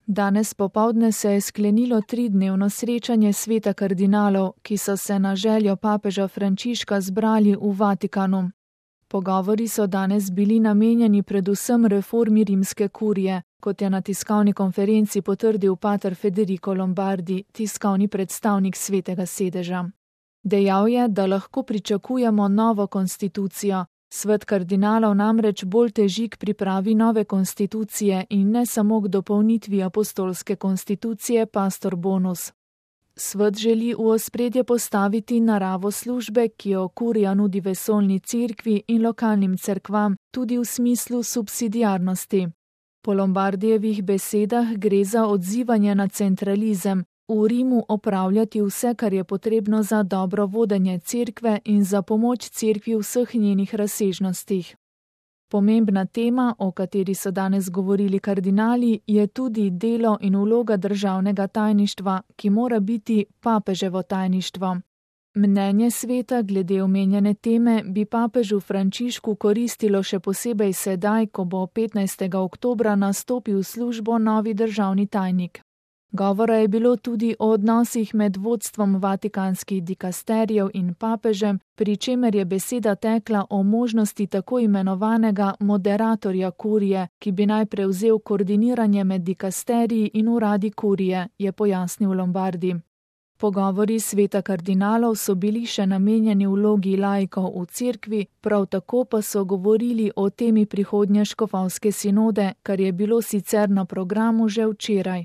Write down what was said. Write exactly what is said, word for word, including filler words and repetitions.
Danes popoldne se je sklenilo tridnevno srečanje sveta kardinalov, ki so se na željo papeža Frančiška zbrali v Vatikanu. Pogovori so danes bili namenjeni predvsem reformi rimske kurije, kot je na tiskovni konferenci potrdil pater Federico Lombardi, tiskovni predstavnik svetega sedeža. Dejal je, da lahko pričakujemo novo konstitucijo. Svet kardinalov namreč bolj teži k pripravi nove konstitucije in ne samo k dopolnitvi apostolske konstitucije Pastor Bonus. Svet želi v ospredje postaviti naravo službe, ki jo kurija nudi vesoljni cerkvi in lokalnim cerkvam, tudi v smislu subsidiarnosti. Po Lombardijevih besedah gre za odzivanje na centralizem, v Rimu opravljati vse, kar je potrebno za dobro vodenje cerkve in za pomoč cerkvi v vseh njenih razsežnostih. Pomembna tema, o kateri so danes govorili kardinali, je tudi delo in vloga državnega tajništva, ki mora biti papeževo tajništvo. Mnenje sveta glede omenjene teme bi papežu Frančišku koristilo še posebej sedaj, ko bo petnajstega oktobra nastopil v službo novi državni tajnik. Govora je bilo tudi o odnosih med vodstvom vatikanskih dikasterijev in papežem, pri čemer je beseda tekla o možnosti tako imenovanega moderatorja kurije, ki bi naj prevzel koordiniranje med dikasteriji in uradi kurije, je pojasnil Lombardi. Pogovori sveta kardinalov so bili še namenjeni vlogi laikov v cerkvi, prav tako pa so govorili o temi prihodnje škofovske sinode, kar je bilo sicer na programu že včeraj.